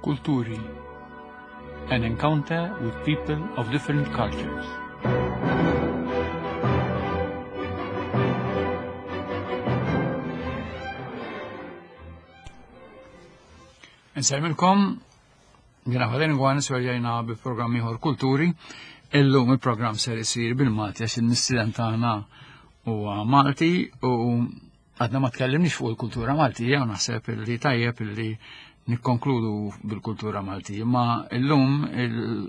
Kulturi An encounter with people of different cultures. Nsellmilkom, jiena Faden Gwan, sverjajna bi programm ieħor Kulturi. Illum il-programm ser isir bil-Malti għax il-mistieden tagħna huwa Malti u għadna ma tkellimniex fuq il-kultura Maltija u naħseb li tajjeb illi nikkonkludu bil-kultura Maltija, ma illum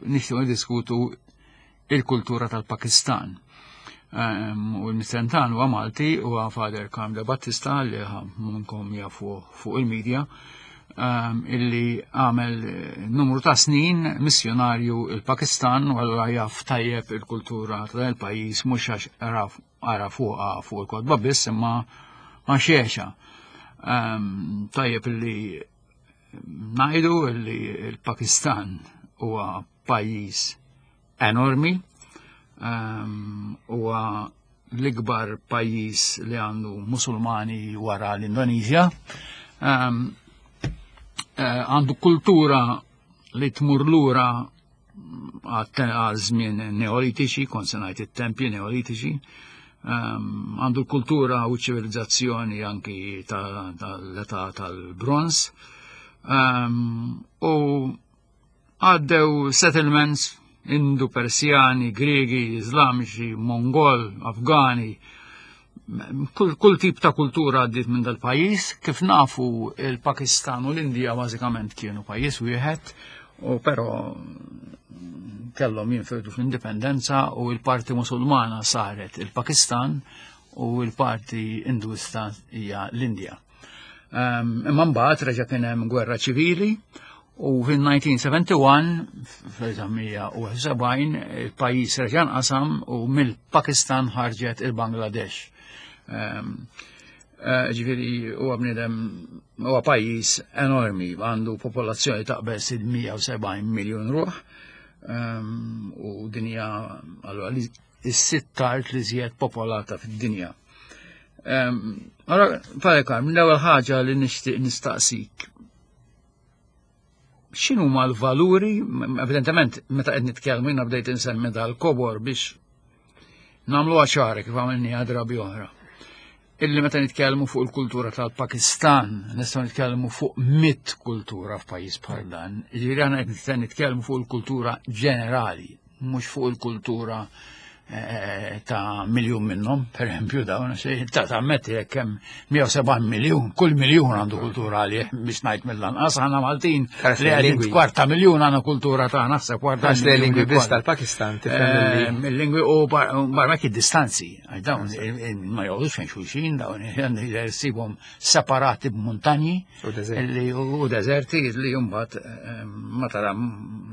nixtieq niddiskutu il-kultura tal-Pakistan. Ehm, u l-mistentan huwa Malti huwa Father Carm de Battista li minnkom jafu fuq il-medja ehm, illi għamel eh, numru ta' snin missjonarju il-Pakistan u allura jaf tajjeb il-kultura tal-pajjiż mhux għax ara fuqha fuq il-kotba biss imma għax jgħixha. Ehm, tajjeb illi ngħidu illi il-Pakistan huwa pajjiż enormi, ehm, huwa l-ikbar pajjiż li għandu musulmani wara l-Indonesia. Ehm, eh, għandu kultura li tmur lura għal żmien neolitiċi, kont se ngħid it-tempji neolitiċi, ehm, għandu l-kultura u ċivilizzazzjoni anki tal-età tal-bronz. U Għaddew settlements Indu, Persjani, Griegi, Iżlamiċi, Mongol, Afgani, kull, kull tip ta' kultura għaddiet minn dal-pajjiż. Kif nafu il-Pakistan u l-Indija bażikament kienu pajjiż wieħed, u però kellhom jinfirdu fl-indipendenza u l-parti Musulmana saret il-Pakistan u l-parti Induista hija l-Indja. Ehm, imma mbagħad reġa' kien hemm gwerra ċivili u fil-1971, fl-1971, il-pajjiż reġa' nqasam u mill-Pakistan ħarġet il-Bangladesh. Ehm, eh, ġifieri huwa bniedem huwa pajjiż enormi, għandu popolazzjoni taqbeż il-170 miljun ruħ ehm, u dinja allura is-sitt art li żjed popolata fid-dinja. Allora, Father Carm, l-ewwel ħaġa li nixtieq nistaqsik. X'inhu ma l-valuri, evidentement, meta qed nitkellmu jiena bdejt insemmi dal-kobor biex nagħmlu ċara kif għamilni drabi oħra. Illi meta nitkellmu fuq il-kultura tal-Pakistan, nistgħu nitkellmu fuq mit kultura f'pajjiż bħal dan. Jiġifieri aħna qed nitkellmu fuq il-kultura ġenerali, mhux fuq il-kultura eh, ta' miljun minnhom, per eżempju dawn, ta' tammetti jekk hemm 170 miljun, kull miljun għandu kultura għalih biex ngħid mill-anqas aħna Maltin li għadin kwarta miljun għandna kultura ta' naħseb kwarta miljun. lingwi biss tal-Pakistan tifhem eh, Il-lingwi u barra id-distanzi, għax dawn ma joqgħodux fejn xulxin, dawn jsibhom separati b'muntanji u deżerti li jumbat eh, ma tara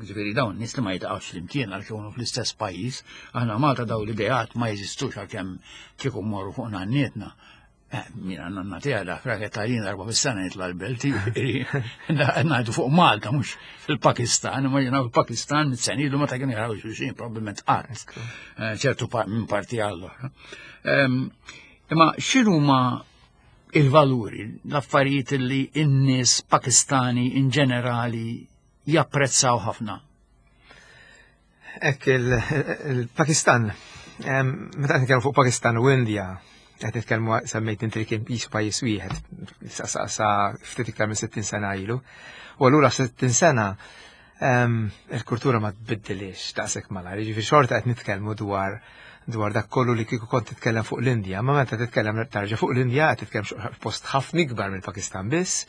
ġifieri dawn nies li ma jitqgħux flimkien għal kienu fl-istess pajjiż, aħna Malta daw l-ideat ma jeżistux għalkemm kieku mmorru fuq nannietna. Eh, mina nanna tiegħi dak raket ta' darba fis-sena jitla' l-belt, ngħidu fuq Malta mhux fil-Pakistan, imma jiena fil-Pakistan mit-senilu meta kienu jaraw xulxin probabbilment qatt eh, ċertu minn parti għall-oħra. Ehm, imma x'inhuma il-valuri, l-affarijiet li n-nies Pakistani in ġenerali japprezzaw ħafna? Ek il-Pakistan, meta qed nitkellmu fuq Pakistan u Indja, qed nitkellmu semmejt inti li kien jisu pajjiż wieħed sa ftit iktar minn 60 sena ilu. U allura 60 sena il-kultura ma tbiddilix daqshekk malajr, jiġifieri xorta qed nitkellmu dwar dwar dak kollu li kieku kont titkellem fuq l-Indja, ma meta titkellem tarġa' fuq l-Indja qed titkellem post ħafna ikbar mill-Pakistan biss,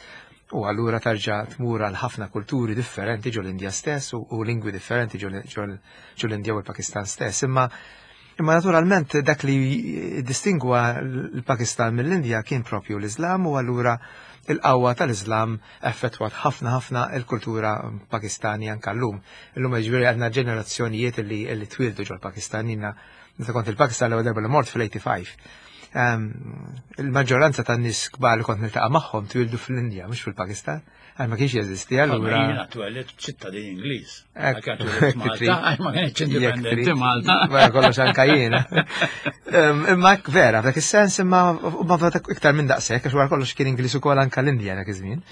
u allura tarġa' tmur għal ħafna kulturi differenti ġol Indja stess u lingwi differenti ġol l-Indja u l-Pakistan stess. Imma imma naturalment dak li distingwa l-Pakistan mill-Indja kien propju l-Islam u allura il-qawwa tal-Islam effettwat ħafna ħafna il-kultura Pakistani anka llum. Illum jiġifieri għandna ġenerazzjonijiet li li twildu ġol-Pakistan jiena meta kont il-Pakistan l-ewwel darba li mort fil-85. Ehm, il-maġġoranza tan nies kbar li kont niltaqa' magħhom twildu fl-Indja mhux fil-Pakistan. Għal ma kienx jeżisti allura. Jiena twellidt ċittadin Ingliż. Ma kienx indipendenti Malta. Wara kollox anka jiena. Ehm, imma vera, f'dak is-sens imma ma iktar minn daqshekk għax wara kollox kien Ingliż ukoll anka l-Indja dak iż-żmien.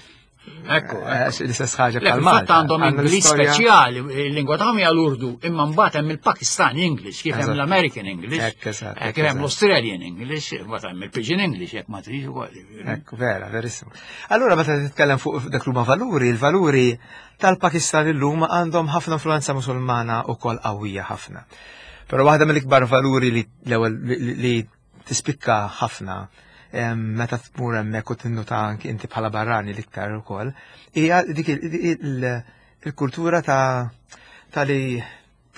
Ekku, eh, l-istess ħaġa bħal Malta. għandhom Ingliż speċjali, il-lingwa tagħhom hija l-Urdu, imma mbagħad hemm il-Pakistan English, kif hemm l-American English, eh, kif hemm l-Australian English, mbagħad hemm il-Pidgin English jekk ma tridx ukoll. Ekku, vera, verissimu. Allura meta titkellem fuq dak huma valuri, il-valuri tal-Pakistan illum għandhom ħafna influenza Musulmana wkoll qawwija ħafna. Però waħda mill-ikbar valuri li l-ewwel li tispikka ħafna meta tmur hemmhekk u tinnuta anki inti bħala barrani l-iktar ukoll, hija dik il-kultura ta' ta' li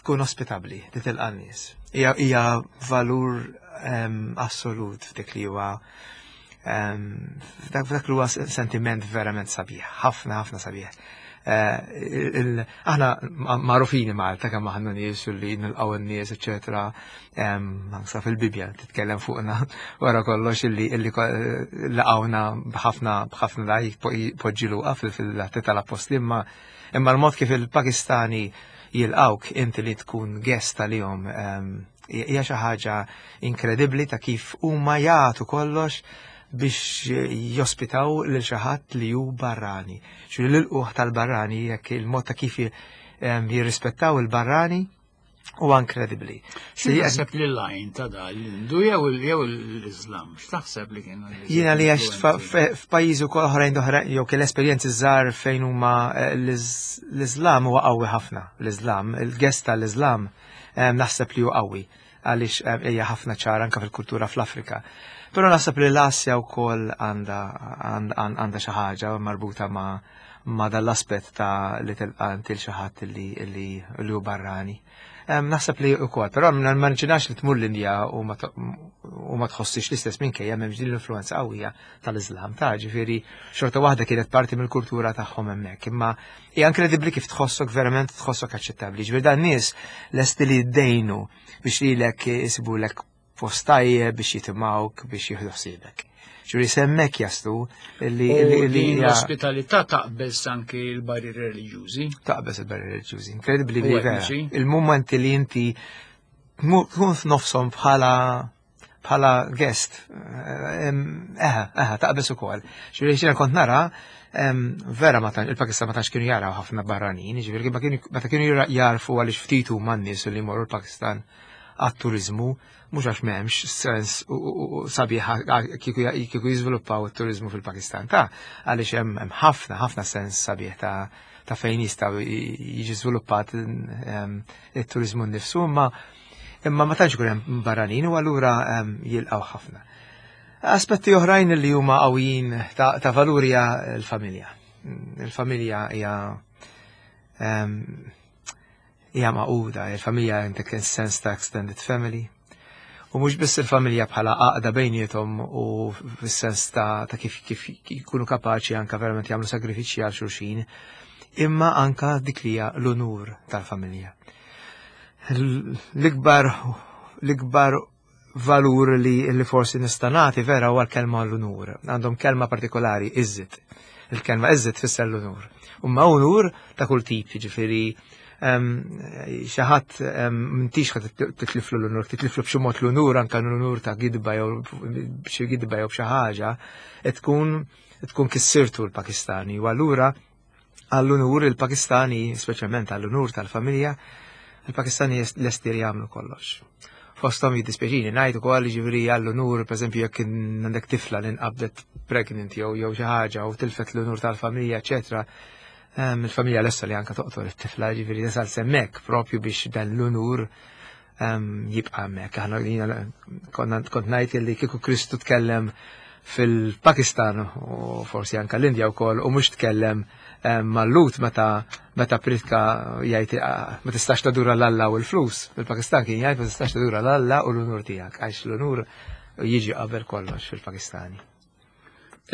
tkun ospitabbli, li tilqa' nies. Hija valur assolut f'dik li huwa f'dak li huwa sentiment verament sabiħ, ħafna ħafna sabiħ. Eh, aħna magħrufini Malta kemm aħna nies u li nilqgħu n-nies, eċetera. Ansa fil-Bibja titkellem fuqna wara kollox illi illi laqgħuna b'ħafna b'ħafna daj poġġi luqa fil-atti tal-appostli imma imma l-mod kif il-Pakistani jilqawk inti li tkun guest għalihom hija xi ħaġa inkredibbli ta' kif huma jagħtu kollox biex jospitaw lil xi ħadd li hu barrani. Xi l-ilquħ tal-barrani jekk il-mod ta' kif jirrispettaw il-barrani huwa inkredibbli. X'taħseb li l-lajn ta' da l-Hindu jew l-Islam? X'taħseb li kien? Jiena li għax f'pajjiżi wkoll oħrajn oħra jew kien esperjenzi żgħar fejn huma eh, l-Islam huwa qawwi ħafna. L-Islam, il-gest tal-Islam naħseb li hu qawwi għaliex hija ħafna ċara anke fil-kultura fl-Afrika. Però naħseb li l-Asja wkoll għandha għandha xi ħaġa marbuta ma' ma' dal-aspett ta' li tilqa' inti xi ħadd li li hu barrani. Naħseb li wkoll, però ma nġinax li tmur l-Indja u ma tħossix l-istess minkejja m'hemmx din l-influenza qawwija tal-Iżlam ta' ġifieri xorta waħda kienet parti mill-kultura tagħhom hemmhekk. Imma Hija inkredibbli kif tħossok verament tħossok aċċettabbli. Ġifieri dan nies lesti li jiddejnu biex lilek isibulek post tajjeb biex jitimgħuk biex jieħdu ħsiebek. Ġifieri semmek jaslu li l-ospitalità taqbeż anki l-barrieri reliġjużi. Taqbeż il-barrieri reliġjużi. Inkredibbli li vera. Il-mumenti li inti tkun f'nofshom bħala bħala guest, eħe, eħe, taqbeż ukoll. Ġifieri xina kont nara, vera ma il-Pakistan ma tantx kienu jaraw ħafna barranin, ġifieri meta kienu jarfu għaliex ftit huma n-nies li jmorru l-Pakistan għat-turizmu, mhux għax m'hemmx sens sabiħ kieku jiżviluppaw it-turizmu fil-Pakistan ta' għaliex hemm ħafna ħafna sens sabiħ ta' ta' fejn jistgħu jiġi żviluppat it-turizmu nnifsu, imma Imma ma tantx ikun hemm barranin u allura ehm, jilqgħu ħafna. Aspetti oħrajn li huma qawwijin ta', ta valur hija l-familja. Il-familja hija ehm, hija maquda, il-familja għandek sens ta' extended family. U mhux biss il-familja bħala għaqda bejniethom u fis-sens ta', ta kif kif jkunu kapaċi anka verament jagħmlu sagrifiċċji għal xulxin, imma anka dik li hija l-unur tal-familja. L-ikbar l-ikbar valur li, li forsi nista' nagħti vera huwa l-kelma l-unur. Għandhom kelma partikolari, iżżit. Il-kelma iżżit tfisser l-unur. Umma unur ta' kull tip, jiġifieri xi ħadd m'intix ħadd titliflu l-unur, titliflu b'xi mod l-unur anke l-unur ta' gidba jew b'xi gidba jew b'xi ħaġa, tkun tkun kissirtu l-Pakistani. U allura għall-unur il-Pakistani, speċjalment għall-unur tal-familja, il-Pakistani lesti li jagħmlu kollox. Fosthom jiddispjaċini ngħid ukoll jiġifieri għall-unur, pereżempju jekk għandek tifla li nqabdet pregnant jew jew xi ħaġa u tilfet l-unur tal-familja, eċetera, ehm, il-familja lesta li anka toqtol it-tifla, ġifieri tasal semmek propju biex dan l-unur ehm, jibqa' hemmhekk. Aħna kont ngħid li kieku Kristu tkellem fil-Pakistan u forsi anka l-Indja wkoll u mhux tkellem eh, mal-Lut meta meta pritka jgħid ah, ma tistax tadura l-Alla u l-flus. Fil-Pakistan kien jgħid ma tistax tadura l-Alla u l-unur tiegħek għax l-unur jiġi qabel kollox fil-Pakistani.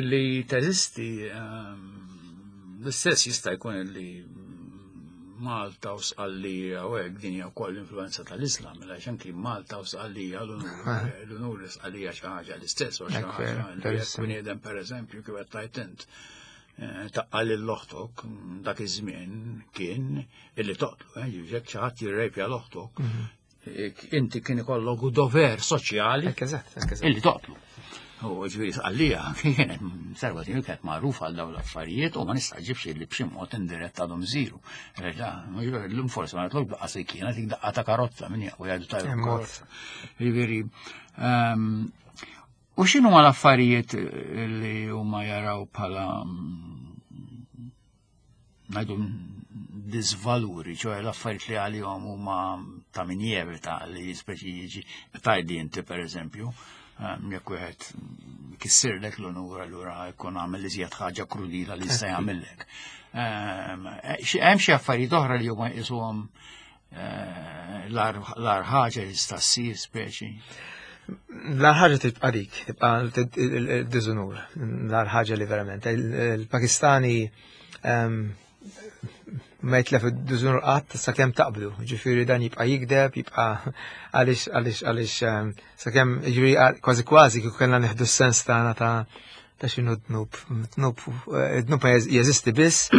Li teżisti ehm, l-istess jista' jkun li Malta u Sqallija u hekk din hija wkoll l-influenza tal-Islam, mela għax anki Malta u Sqallija l-unur li Sqallija xi ħaġa l-istess u xi ħaġa li bniedem pereżempju kif qed tajt int eh, taqqa lil oħtok dak iż-żmien kien illi toqtlu, eh, jekk xi ħadd jirrejpja l-oħtok, mhm. eh, inti kien ikollok dover soċjali illi toqtlu. U ġifieri Sqallija kienet serva tiegħu kienet magħrufa għal dawn l-affarijiet u ma nistaġibx li b'xi mod indirett għadhom isiru. Reġa, llum forsi ma nagħtlok daqqa se kienet dik daqqa ta' karozza min jaqwa jgħidu ta' karozza. Ġifieri ehm, u x'inhu ma l-affarijiet li huma jaraw bħala ngħidu disvaluri, ċoħe l-affarijiet li għalihom huma ta' min jevita li speċi jiġi tajdi inti per eżempju, ehm, jekk wieħed kissirlek l-onur allura jkun għamel iżjed ħaġa krudila li jista' jagħmellek. Ehm, hemm xi affarijiet oħra li huma jqisuhom eh, l-ar ħaġa li tista' ssir speċi. L-ar ħaġa tibqa' dik, tibqa' diżunur, l-ar ħaġa li verament. Il-Pakistani ehm, ma jitlef id-diżunur qatt sakemm taqbdu, ġifieri dan jibqa' jikdeb, jibqa' għaliex għaliex għaliex ehm, sakemm ġifieri kważi kważi kieku kellna nieħdu s-sens tagħna ta' ta' xinu dnub. Dnub, eh, dnub ma jeżisti biss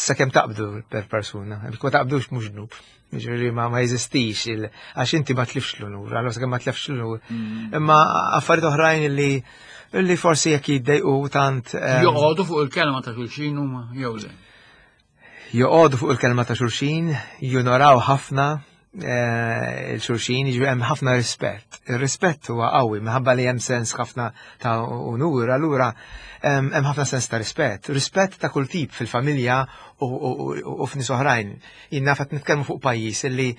sakemm taqbdu per persuna. Jekk ma taqbdux mhux dnub. Ġifieri ma ma jeżistix għax inti ma tlifx l-unur, allura sakemm ma tlifx l-unur. Mm. Imma affarijiet oħrajn li li forsi jekk jiddejqu tant. Eh, Joqogħdu fuq il-kelma ta' xulxin huma jew le. Joqogħdu fuq il-kelma ta' xulxin, junoraw ħafna eh, il-xulxin, jiġifieri hemm ħafna rispett. Ir-rispett huwa qawwi minħabba li hemm sens ħafna ta' unur, allura hemm ħafna sens ta' rispett. Rispett ta' kull tip fil-familja u f'nies oħrajn. Jien naf qed nitkellmu fuq pajjiż li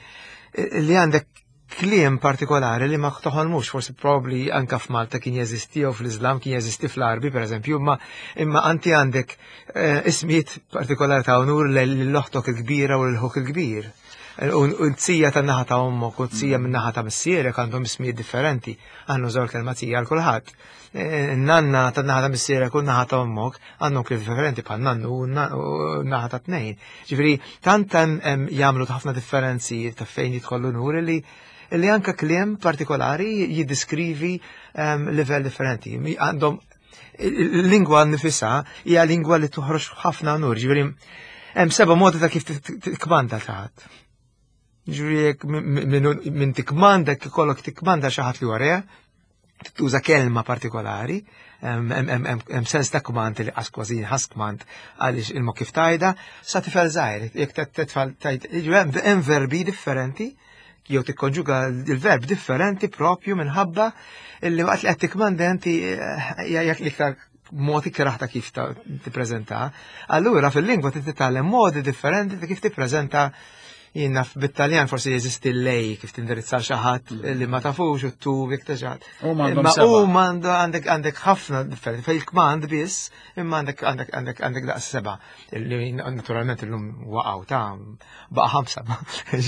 li għandek kliem partikolari li ma toħolmux, forsi probabli anka f'Malta kien jeżisti jew fl-Islam kien jeżisti fl-Arbi pereżempju, imma imma anti għandek eh, ismijiet partikolari ta' unur l-oħtok il-kbira u l-ħuk il-kbir. U t-sija ta' naħa ta' ommok u t-sija minn naħa ta' missierek għandhom ismijiet differenti, għannu żewġ kelma tija għal kulħadd. Eh, nanna ta' naħa ta' missierek u naħa ta' ommok għandhom kliem differenti bħal nannu u naħa ta' tnejn. Ġifieri tant hemm jagħmlu ħafna differenzi ta' fejn jidħol l-unur li li anka kliem partikolari jiddiskrivi ehm, livell differenti. Għandhom il-lingwa nifisha hija lingwa li toħroġ ħafna unur, ġifieri hemm seba' modi ta' kif tikmanda ħadd. Ġifieri jekk minn tikmanda ikollok tikmanda xi ħadd li wara, tuża kelma partikolari, hemm sens ta' kmand li qas kważi ħas kmand għaliex il kif tajda, sa tifel żgħir, jekk titfal tajt, hemm verbi differenti jew tikkonġuga il-verb differenti propju minħabba illi waqt li qed tikmanda inti eh, jekk l-iktar mod ikraħ ta' kif tippreżenta. Allura fil-lingwa trid titgħallem modi differenti ta' kif tippreżenta jien naf bit-Taljan forsi jeżisti lej kif tindirizza xi ħadd mm. li ma tafux u tu jekk taġat. Ma u m'għandu għandek għandek ħafna differenti fil-kmand biss imma għandek għandek għandek għandek daqs seba' li naturalment illum waqgħu ta' baqa' ħamsa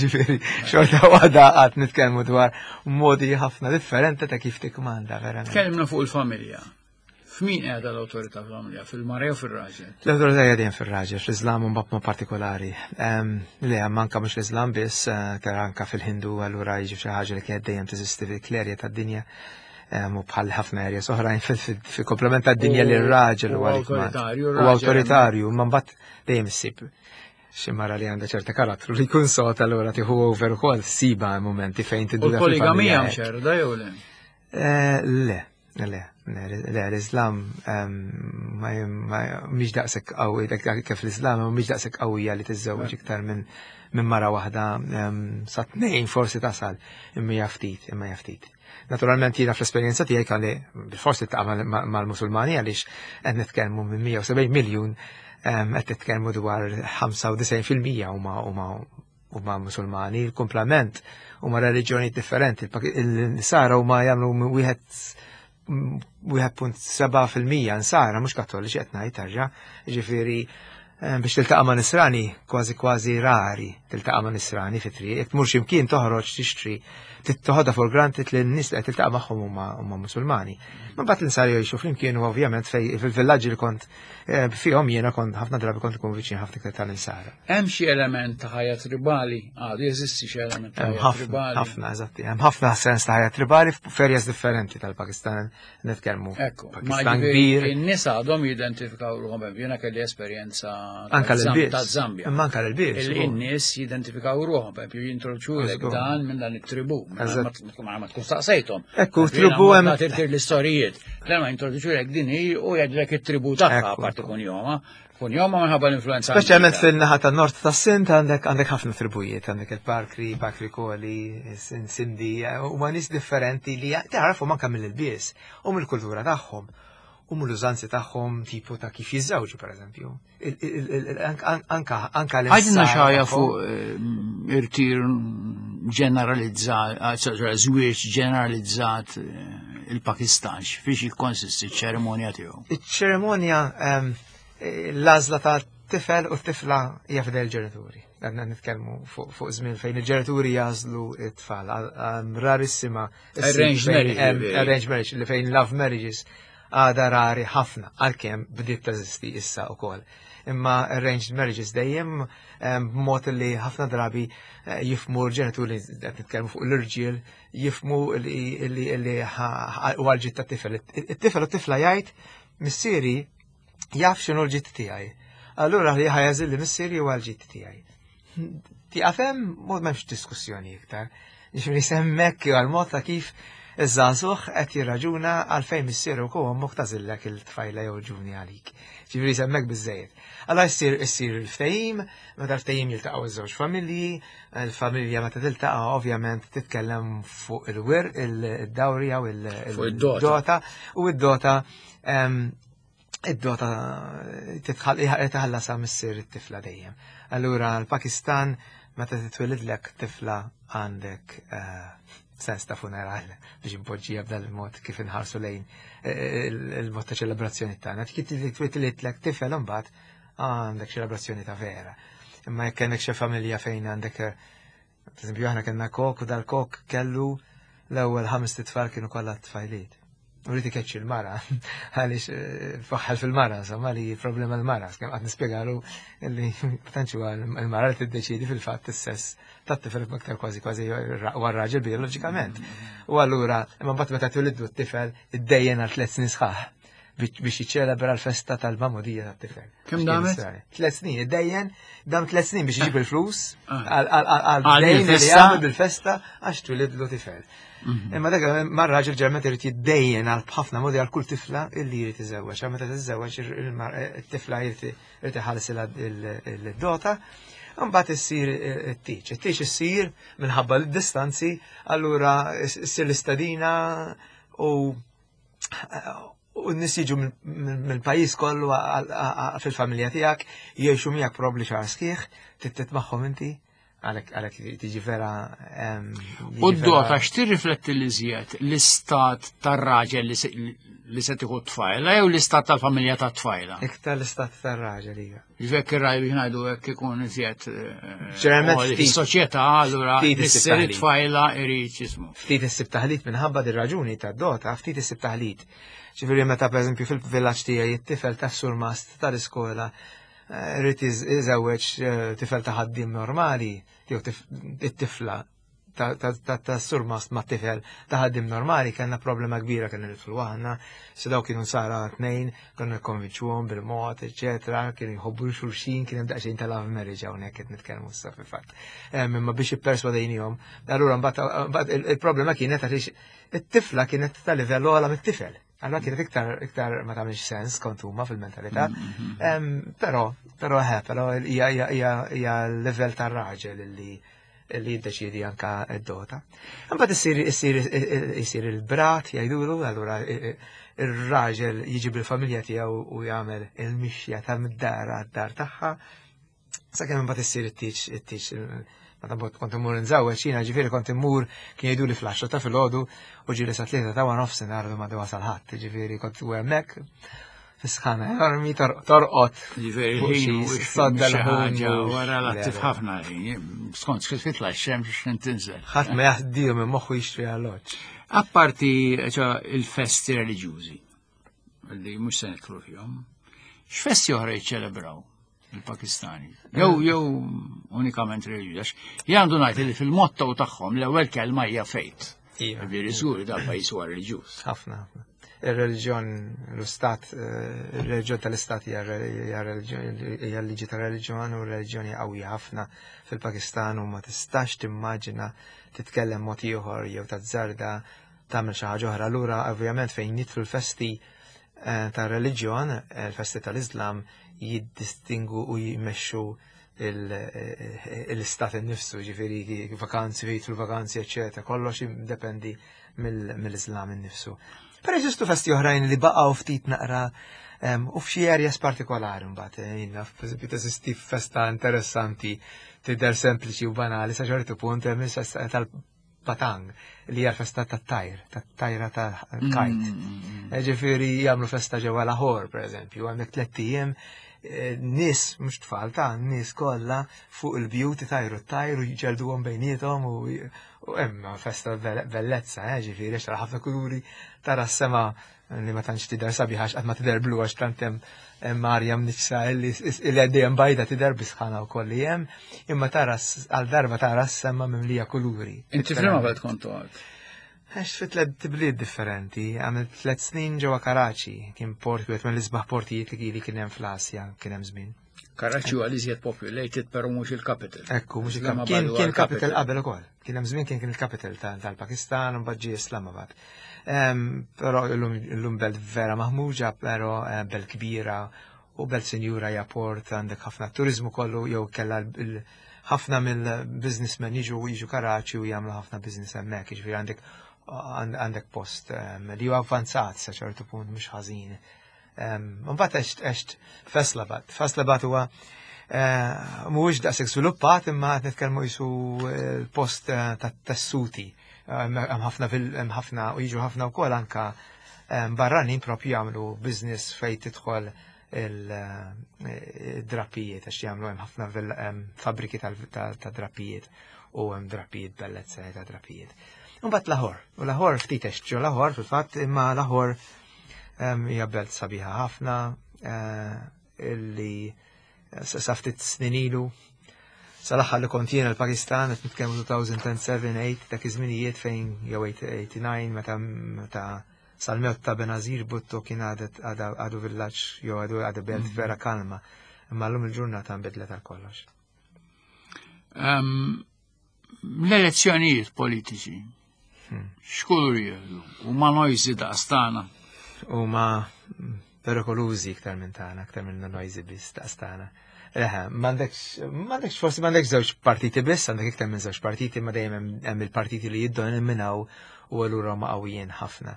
ġifieri xorta waħda qatt nitkellmu dwar modi ħafna differenti ta' kif tikmanda verament. Tkellimna fuq il-familja. F'min qiegħda l-awtorità fl-familja, fil-mara jew fir-raġel? L-awtorità hija dejjem fir-raġel, fl-Iżlam u mbagħad partikolari. Le hemm anke mhux l-Iżlam biss, eh, tara anke fil-Hindu allura jiġi xi ħaġa li kienet dejjem teżisti fil-klerja tad-dinja u bħal ħafna areas oħrajn fil-komplement tad-dinja li r-raġel huwa awtoritarju. U awtoritarju, ma mbagħad dejjem issib xi mara li għandha ċerta karattru li jkun sota allura tieħu over ukoll siba momenti fejn tiddu. U l-poligamija mxerda jew le? Eh, le, le, le, l-Islam ehm, mhix daqshekk qawwi, kif l-Islam mhix daqshekk qawwija li tiżżewweġ iktar minn minn mara waħda ehm, sa tnejn forsi tasal imma hija ftit, imma hija ftit. Naturalment jiena fl-esperjenza tiegħi kalli forsi taqa' mal-Musulmani għaliex qed nitkellmu minn 170 miljun ehm, qed nitkellmu dwar 95% huma huma huma Musulmani, il-kumplament huma reliġjoni differenti. Il-Nisara huma jagħmlu wieħed 1.7% nsara, mhux kattoliċi qed ngħid tarġa', ġifieri eh, biex tiltaqa' ma' nisrani kważi kważi rari tiltaqa' ma' nisrani fi triq, jekk tmur x'imkien toħroġ tixtri toħodha for granted li n-nies li qed tiltaqa' magħhom huma Musulmani. Ma mbagħad l-insara jgħixu flimkien u ovvjament fej fil-villaġġi li kont eh, fihom jiena kont ħafna drabi kont ikun viċin ħafna iktar tal-insara. Hemm xi element ta' ħajja tribali, għadu jeżisti xi element ta' ħajja tribali. Ħafna, eżatti, hemm ħafna sens ta' ħajja tribali f'areas differenti tal-Pakistan nitkellmu. Ekku, Pakistan kbir. In-nies għadhom jidentifikaw ruħhom hemm. Jiena kelli esperjenza Anka l-ilbies. Ta' Zambja. Imma anka l-ilbies. Illi n-nies jidentifikaw ruħhom, per jintroduċu dan minn dan it-tribu. Ma tkun staqsejthom. Ekku, tribu hemm. Tirtir l-istorijiet. Dan ma jintroduċu din hi u jgħidlek it-tribu tagħha parti kun joma. Kun joma minħabba l-influenza. Speċjalment fin-naħa tan-nord tas-Sind għandek għandek ħafna tribujiet, għandek il-Parkri, Parkri Koli, Sindi, u ma nies differenti li tagħrafhom anke mill-ilbies u mill-kultura tagħhom u mill-użanzi tagħhom tipo ta' kif jiżżewġu pereżempju. Anka anka l Għajdilna xaja fuq eh, irtir ġeneralizzat, eh, żwieġ ġeneralizzat eh, il-Pakistan, fiex jikkonsisti ċ-ċerimonja tiegħu. Iċ-ċerimonja ehm, l-għażla ta' tifel u t-tifla hija fidel ġenituri. Għadna nitkellmu fuq żmien fejn il-ġenituri jażlu it-tfal. Rarissima. Arranged marriage. Arranged marriage, li fejn love marriages għada rari ħafna, għalkemm bdiet teżisti issa wkoll. Imma arranged marriages dejjem b'mod li ħafna drabi eh, jifmu l-ġenituri qed nitkellmu fuq l-irġiel, jifmu li huwa l-ġid tat-tifel. It-tifel u t-tifla jgħid missieri jaf x'inhu l-ġid tiegħi. Allura li ħajażil li missieri huwa l-ġid tiegħi. Tieqaf hemm mod m'hemmx diskussjoni iktar. Ġifieri semmek għal-mod ta' kif iż-żagħżugħ qed jirraġuna għalfejn missieru u ommok tażillek il-tfajla jew ġuvni għalik. Ġifieri semmek biżejjed. Alla jsir issir il-ftehim, meta l-ftehim jiltaqgħu iż-żewġ familji, il-familja meta tiltaqa' ovvjament titkellem fuq il-wir, il-dawrija u il-dota u id-dota id-dota titħallasha missier it-tifla dejjem. Allura l-Pakistan meta titwilidlek tifla għandek eh, sens ta' funeral biex impoġġija b'dan il-mod kif inħarsu lejn eh, il-mod ta' ċelebrazzjoni tagħna. Kif titwilidlek tifel imbagħad għandek ċelebrazzjoni ta' vera. Imma jekk kellek xi familja fejn għandek eh, Per eżempju, aħna kellna kok u dal-kok kellu l-ewwel ħames tfal kienu kollha tfajliet. U rrid ikeċċi l-mara, għaliex eh, faħħal fil-mara, insomma li problema l-mara, kemm qatt nispjegalu li tantx huwa l-mara li tiddeċiedi fil-fatt is-sess tat-tifel aktar kważi kważi huwa r-raġel bioloġikament. U allura, imma mbagħad meta twilidlu t-tifel iddejjen għal tliet snin sħaħ biex jiċċelebra l-festa tal-mamudija tat-tifel. Kemm damet? Tlet snin, id-dejjen, dam tlet snin biex iġib il-flus ah. għal-dejn li għamel bil-festa għax twilidlu tifel. Mhm. Imma dak mar-raġel ġerment irid jiddejjen għal ħafna modi għal kull tifla illi jrid iżewweġ. Meta tiżewweġ it-tifla jrid iħallsilha il-dota. Mbagħad issir it-tiċ. It-tiċ issir minħabba l-distanzi, allura issir l-istadina u u n-nis jiġu mill-pajjiż kollu fil-familja tiegħek, jgħixu miegħek probli xahar sħiħ, tittet magħhom inti, għalhekk tiġi vera. U d-dota x'tirrifletti li żjed l-istat tar-raġel li se tieħu t-tfajla jew l-istat tal-familja tat-tfajla? Iktar l-istat tar-raġel hija. Ġvek ir-raj biex ngħidu hekk ikun iżjed eh, fis-soċjetà allura missier it-tfajla irid jismu. Ftit issib taħlit minħabba dir raġuni tad-dota, ftit issib taħlit. Ġifieri meta pereżempju fil-villaġġ tiegħi it-tifel tas-surmast tal-iskola eh, rrid iżewweġ eh, tifel ta' ħaddiem normali, jew it-tifla ta' surmast ma' tifel ta' ħaddim normali kellna problema kbira kellna nidħlu aħna, se daw kienu sara tnejn, konna nikkonvinċuhom bil-mod, eċetera, kienu jħobbu xulxin, kien hemm daqsxejn ta' love marriage hawnhekk qed nitkellmu issa fil-fatt. Imma biex ipperswadejnihom, allura mbagħad il-problema kienet għaliex it-tifla kienet ta' livell ogħla mit-tifel. Allora kienet iktar iktar ma tagħmilx sens kont huma fil-mentalità. Mm-hmm. Però, però eh, però hija hija l-livell tar-raġel li li jiddeċiedi anka d-dota. Imbagħad issir issir isir il-brat jgħidulu, allura ir-raġel jiġi bil-familja tiegħu u jagħmel il-mixja ta' mid-dar għad-dar tagħha. Sakemm imbagħad issir it-tieġ it-tieġ meta bot kont immur nżewweġ jiena ġifieri kont immur kien jgħidu li fl-10 ta' filgħodu u ġieli sa tlieta ta' nofsinhar ma wasal ħadd, ġifieri kont u hemmhekk Fisħana enormi torqod. Ġifieri sodda l-ħaġa wara l-attiv ħafna ħin, skont kif titla' x-xemx x'in tinżel. Ħadd ma jaħdiju minn moħħu jixtri alloġġ. Apparti il-festi reliġjużi li mhux se nidħlu fihom, x'festi oħra jiċċelebraw il-Pakistani? Jew jew unikament reliġjużi. Jien għandu ngħid li fil-motto tagħhom l-ewwel kelma hija fejt. Iva. Ġifieri żgur dal-pajjiż huwa reliġjuż. Ħafna, ħafna. Ir-reliġjon l-istat, ir-reliġjon tal-istat hija l-liġi tar-reliġjon u r-reliġjon hija qawwija ħafna fil-Pakistan u ma tistax timmaġina titkellem mod ieħor jew tazzarda tagħmel xi ħaġa oħra. Allura ovvjament fejn jidħlu l-festi eh, tar-reliġjon, eh, l-festi tal-Islam jiddistingu u jmexxu eh, l-istat innifsu, ġifieri vakanzi, fejn jidħlu vakanzi, eċetera, kollox jiddependi mill-Islam innifsu. Però jeżistu festi oħrajn li baqgħu ftit naqra u f'xi areas partikolari mbagħad eh, jien naf pereżempju teżisti festa interessanti tidher sempliċi u banali sa ċertu punt hemm il-festa tal-Patang li hija l-festa tat-tajr, tat-tajra tal-kajt. Mm, mm, mm. Eh, ġifieri jagħmlu festa ġewwa Lahore pereżempju, hemmhekk tlett ijiem eh, nies mhux tfal ta' nies kollha fuq il-bjut itajru t-tajr u jġelduhom bejniethom u U hemm festa bellezza, eh, ġifieri għax tara ħafna kuluri, tara s-sema li ma tantx tidher sabiħa għax qatt ma tidher blu għax tant hemm arja mniċsa li dejjem bajda tidher bisħana wkoll li hemm, imma tara għal darba tara s-sema mimlija kuluri. Inti f'liema belt kont toqgħod? Għext fi tliet bliet differenti, għamilt tliet snin ġewwa Karachi, kien port wieħed mill-isbaħ portijiet li kien hemm fl-Asja kien hemm żmien. Karachi huwa l-iżjed populated però mhux il-capital. Ekku, mhux il-capital. Kien kien capital qabel ukoll. Kien hemm żmien kien kien il-capital tal-Pakistan u mbagħad ġie Islamabad. Però illum belt vera maħmuġa, però eh, belt kbira u belt sinjura hija port għandek ħafna turizmu kollu jew kellha ħafna mill-businessmen jiġu jiġu Karachi u jagħmlu ħafna business hemmhekk, jiġifieri għandek għandek post li huwa avvanzat sa ċertu punt mhux ħażin. Mbagħad għext għext Faisalabad. Faisalabad huwa eh, mhuwiex daqshekk żviluppat imma qed nitkellmu jisu eh, l-post eh, tat-tessuti. Hemm ħafna hemm ħafna u jiġu ħafna wkoll anka barranin propju jagħmlu business fejn tidħol il-drappijiet għax jagħmlu hemm ħafna fabbriki tal-drappijiet u hemm drappijiet bellezza ta' drappijiet. Mbagħad Lahore, u Lahore ftit għext ġo Lahore fil-fatt imma Lahore Hija belt sabiħa ħafna eh, illi eh, sa ftit snin ilu sal-aħħar li kont jiena l-Pakistan qed nitkellmu 2007-8 dak iż-żminijiet fejn jew 89 meta meta sal-mewt ta' Benazir Bhutto kien għadet għadu villaġġ jew għadu għadu belt mhm. vera kalma. Imma llum il-ġurnata nbidlet għal kollox. L-elezzjonijiet politiċi, hmm. x'kulur jieħdu? U ma noisy daqstana. U ma perikolużi iktar minn tagħna, iktar minn noisy biss daqstana. Eħe, m'għandekx, m'għandekx forsi m'għandekx żewġ partiti biss, għandek iktar minn żewġ partiti, ma dejjem hemm il-partiti li jiddominaw u allura huma qawwijin ħafna.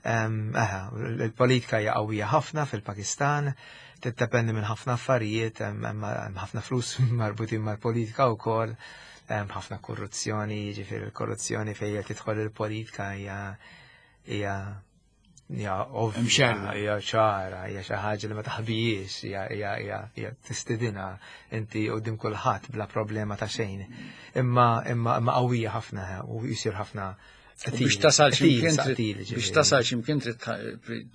Eħe, il-politika hija qawwija ħafna fil-Pakistan, tiddependi minn ħafna affarijiet, hemm ħafna flus marbutin mal-politika wkoll, hemm ħafna korruzzjoni, jiġifieri l-korruzzjoni fejn qed tidħol il-politika hija hija hija ovvja, hija ċara, hija xi ħaġa li ma taħbijiex, hija hija hija hija tistidinha inti qudiem kulħadd bla problema ta' xejn. Imma imma imma qawwija ħafna u jsir ħafna Biex tasal ximkien biex tasal ximkien trid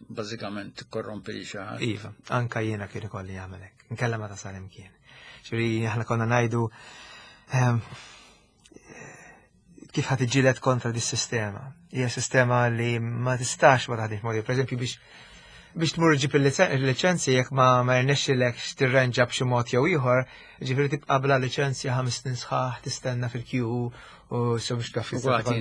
bażikament tikkorrompi li xi ħadd. Iva, anka jiena kien ikolli jagħmel hekk. Inkella ma tasal imkien. Ġifieri aħna konna ngħidu ehm, kif ħad iġġieled kontra dis sistema. Hija sistema li ma tistax ma taħdimx mod. Per biex biex tmur ġib il-liċenzja jekk ma ma jirnexxilekx tirrenġa b'xi mod jew ieħor, ġifieri tibqa' bla liċenzja ħames snin sħaħ tistenna fil-kju u so biex taf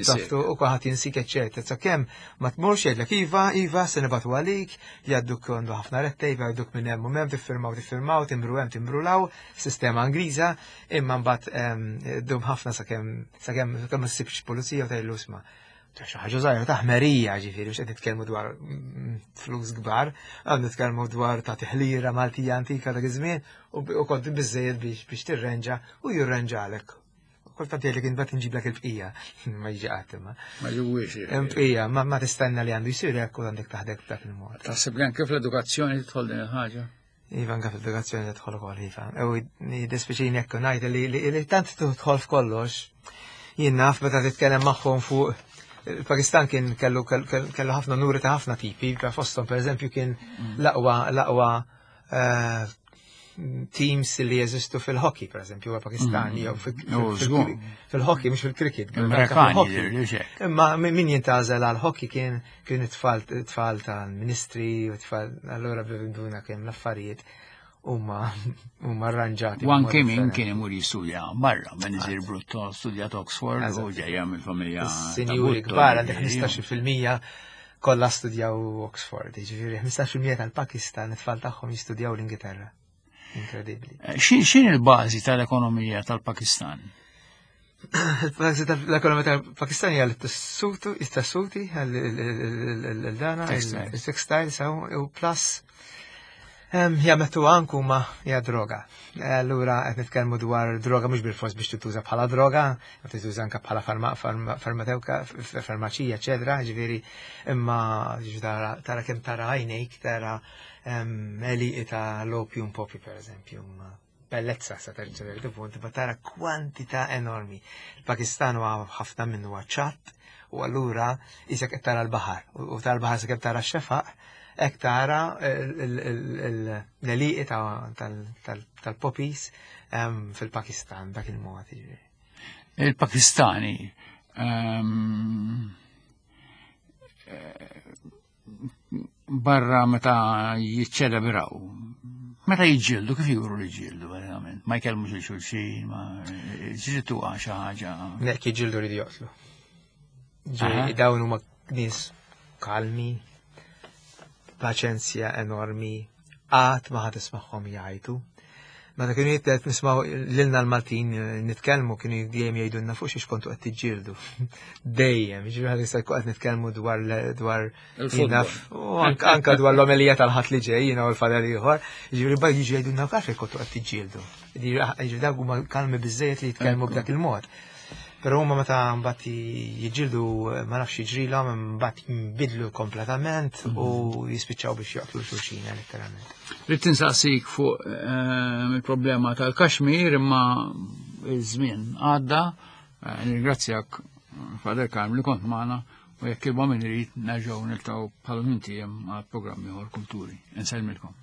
taftu u kulħadd jinsik eċċetera. Sakemm ma tmurx jgħidlek iva, iva, se nibgħatu għalik, jgħadduk għandu ħafna red tape, jgħadduk minn hemm u hemm, tiffirmaw tiffirmaw, timbru hemm timbru law, sistema Ingliża, imma mbagħad ehm, dum ħafna sakemm sakemm ma ssibx pulizija u tgħidlu isma' ta' xi ħaġa żgħira ta' ħmerija ġifieri mhux qed nitkellmu dwar mm, flus kbar, għad nitkellmu dwar ta' tiħlira Maltija antika dak iż-żmien u kont biżejjed biex biex tirrenġa u jirrenġalek. Kultant jgħidlek imbagħad inġiblek il-bqija, ma jiġi qatt imma. Ma ġewwiex. Bqija, ma tistenna li għandu jsir hekk u għandek taħdek b'dak il-mod. Taħseb li anke fl-edukazzjoni tidħol din il-ħaġa? Iva, anke fl-edukazzjoni tidħol ukoll, iva. U jiddispjaċini jekk ngħid li tant tidħol f'kollox. Jien naf meta titkellem magħhom fuq il-Pakistan kien kellu kellu ħafna nuri ta' ħafna tipi, fosthom pereżempju kien mm. l-aqwa l-aqwa eh, teams li jeżistu fil-hockey, per eżempju, huwa Pakistani, jew fil-hockey, mhux fil-cricket. Imma min jintgħażel għal-hockey kien kien it-tfal tfal tal-ministri u tfal allura bibinduna kien l-affarijiet huma huma arranġati. U anke min kien imur jistudja barra, Benazir Brutto studjat Oxford u ġejja mill-familja. Sinjuri kbar għandek 15% kollha studjaw Oxford, jiġifieri 15% tal-Pakistan it-tfal tagħhom jistudjaw l-Ingilterra. Inkredibbli. Eh, X'in il-bażi tal-ekonomija tal-Pakistan? Il-bażi tal-ekonomija tal-Pakistan hija l-tessuti, it-tessuti, l-dana, il-textiles, u plus Jamettu anku ma hija droga. Allura qed nitkellmu dwar droga mhux bil-fors biex tituża bħala droga, tituża anke bħala farmatewka, farmaċija, eċetera, ġifieri imma tara kemm tara għajnejk, tara għelieqi ta' l-opium poppy per eżempju, bellezza sa ċertu punt, ma tara kwantità enormi. Il-Pakistan huwa ħafna minnu huwa ċatt u allura isek qed tara l-baħar u tara l-baħar sakemm tara x-xefaq, hekk tara l-għelieqi tal-poppies fil-Pakistan dak il-mod. Il-Pakistani barra meta jiċċelebraw. Meta jiġġieldu, kif juru li ġġieldu, verament? Ma jkellmux il xulxin, ma ġritu xi ħaġa. Nek jiġġieldu li joqtlu. Dawn huma nies kalmi, paċenzja enormi, qatt ma ħad tismagħhom jgħajtu. Meta kienu jittet nismaw lilna l-Maltin eh, nitkellmu kienu dejjem jgħidulna fuq xiex kontu qed tiġġieldu. Dejjem, jiġifieri ħad jista' qed nitkellmu dwar dwar naf u anka dwar l-omelija tal-ħadd li ġej jiena u l-fadal ieħor, jiġifieri bad jiġu jgħidulna għalfejn kontu qed tiġġieldu. Jiġifieri dawk huma kalmi biżejjed li jitkellmu b'dak il-mod. Però huma meta mbagħad jiġġieldu ma nafx jiġrilhom mbagħad jinbidlu kompletament u mhm. jispiċċaw biex joqtlu xulxin letteralment. Rrid tinsaqsik fuq ehm, il-problema tal-Kashmir imma iż-żmien għadda. Eh, nirringrazzjak Father Karm li kont magħna u jekk il min irid nerġgħu niltaqgħu bħal minn għal programmi ieħor kulturi. Insellmilkom.